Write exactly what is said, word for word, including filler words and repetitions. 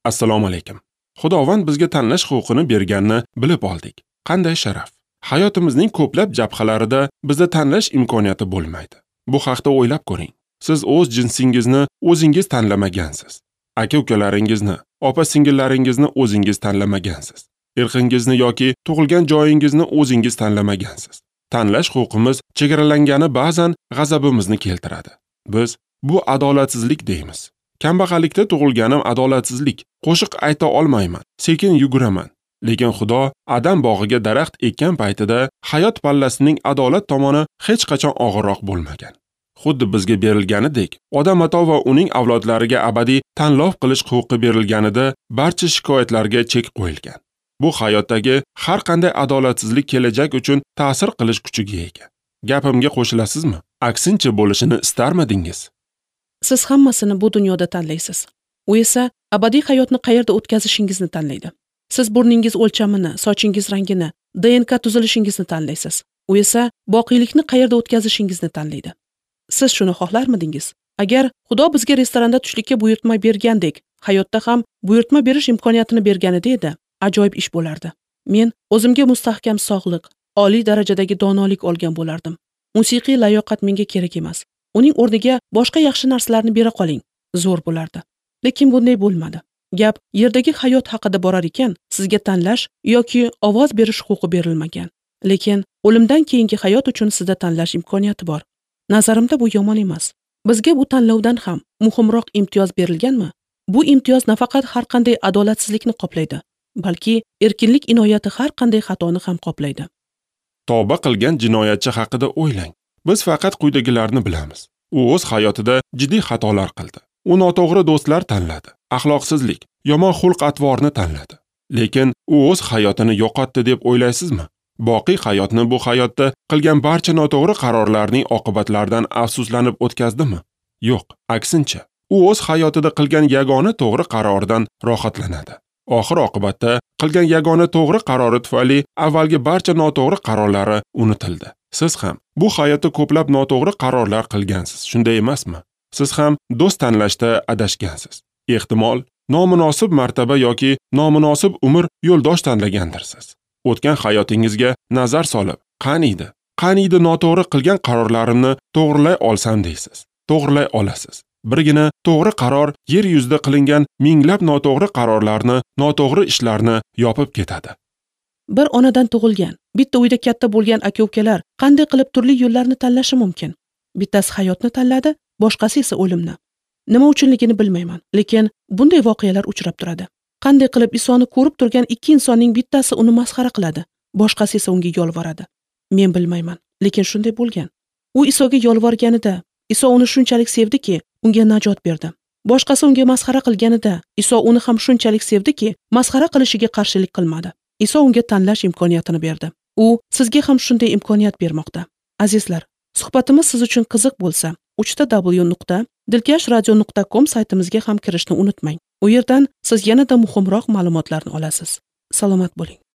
Assalomu alaykum. Xudovand bizga tanlash huquqini berganini bilib oldik. Qanday sharaf! Hayotimizning ko'plab jabhalarida bizda tanlash imkoniyati bo'lmaydi. Bu haqda o'ylab ko'ring. Siz o'z jinsingizni o'zingiz tanlamagansiz. Aka-ukalaringizni, opa-singillaringizni o'zingiz tanlamagansiz. Irqingizni yoki tug'ilgan joyingizni o'zingiz tanlamagansiz. Tanlash huquqimiz chegaralangani ba'zan g'azabimizni keltiradi. Biz bu adolatsizlik deymiz. Kambag'allikda tug'ilganim adolatsizlik. Qo'shiq ayta olmayman, sekin yuguraman. Lekin Xudo Adam bog'iga daraxt ekkan paytida hayot pallasining adolat tomoni hech qachon og'irroq bo'lmagan. Xuddi bizga berilganidek, Odam ato va uning avlodlariga abadiy tanlov qilish huquqi berilganida barcha shikoyatlarga chek qo'yilgan. Bu hayotdagi har qanday adolatsizlik kelajak uchun ta'sir qilish kuchiga ega. Gapimga qo'shilasizmi? Aksincha bo'lishini istarmidingiz? Siz hammasini bu dunyoda tanlaysiz. U esa abadiy hayotni qayerda o'tkazishingizni tanlaydi. Siz burningiz o'lchamini, sochingiz rangini, D N K tuzilishingizni tanlaysiz. U esa boqiylikni qayerda o'tkazishingizni tanlaydi. Siz shuni xohlarmidingiz? Agar Xudo bizga restoranda tushlikka buyurtma bergandek, hayotda ham buyurtma berish imkoniyatini berganida edi, ajoyib ish bo'lardi. Men o'zimga mustahkam sog'liq, oliy darajadagi donolik olgan bo'lardim. Musiqiy layoqat menga kerak emas. Uning o'rniga boshqa yaxshi narsalarni bera qoling, zo'r bo'lardi. Lekin bunday bo'lmadi. Gap yerdagi hayot haqida borar ekan, sizga tanlash yoki ovoz berish huquqi berilmagan. Lekin o'limdan keyingi hayot uchun sizda tanlash imkoniyati bor. Nazarimda bu yomon emas. Bizga bu tanlovdan ham muhimroq imtiyoz berilganmi? Bu imtiyoz nafaqat har qanday adolatsizlikni qoplaydi, balki erkinlik inoyati har qanday xatoni ham qoplaydi. Tavba qilgan jinoyatchi haqida o'ylang. Biz faqat quyidagilarni bilamiz. U o'z hayotida jiddiy xatolar qildi. U noto'g'ri do'stlar tanladi, axloqsizlik, yomon xulq-atvorni tanladi. Lekin u o'z hayotini yo'qotdi deb o'ylaysizmi? Boqiy hayotni bu hayotda qilgan barcha noto'g'ri qarorlarning oqibatlaridan afsuslanib o'tkazdimi? Yo'q, aksincha, u o'z hayotida qilgan yagona to'g'ri qarordan rohatlanadi. Oxir oqibatda qilgan yagona to'g'ri qarori tufayli avvalgi barcha noto'g'ri qarorlari unutildi. Siz ham bu hayotda ko'plab noto'g'ri qarorlar qilgansiz, shunday emasmi? Siz ham do'st tanlashda adashgansiz. Ehtimol, nomunosib martaba yoki nomunosib umr yo'ldosh tanlagandirsiz. O'tgan hayotingizga nazar solib, qaniydi, qaniydi noto'g'ri qilgan qarorlarimni to'g'rilay olsam deysiz. To'g'rilay olasiz. Birgina to'g'ri qaror yer yuzida qilingan minglab noto'g'ri qarorlarni, noto'g'ri ishlarni yopib ketadi. Bir onadan tug'ilgan, bitta uyda katta bo'lgan aka-ukalar qanday qilib turli yo'llarni tanlashi mumkin? Bittasi hayotni tanladi, boshqasi esa o'limni. Nima uchunligini bilmayman, lekin bunday voqealar uchrab turadi. Qanday qilib Isoni ko'rib turgan ikki insonning bittasi uni masxara qiladi, boshqasi esa unga yolvoradi. Men bilmayman, lekin shunday bo'lgan. U Isoga yolvorganida, Iso uni shunchalik sevdiki, unga najot berdi. Boshqasi unga masxara qilganida, Iso uni ham shunchalik sevdiki, masxara qilishiga qarshilik qilmadi. Iso unga tanlash imkoniyatini berdi. U sizga ham shunday imkoniyat bermoqda. Azizlar, suhbatimiz siz uchun qiziq bo'lsa, uch ta w nuqta dilkash radio nuqta com saytimizga ham kirishni unutmang. U yerdan siz yanada muhimroq ma'lumotlarni olasiz. Salomat bo'ling.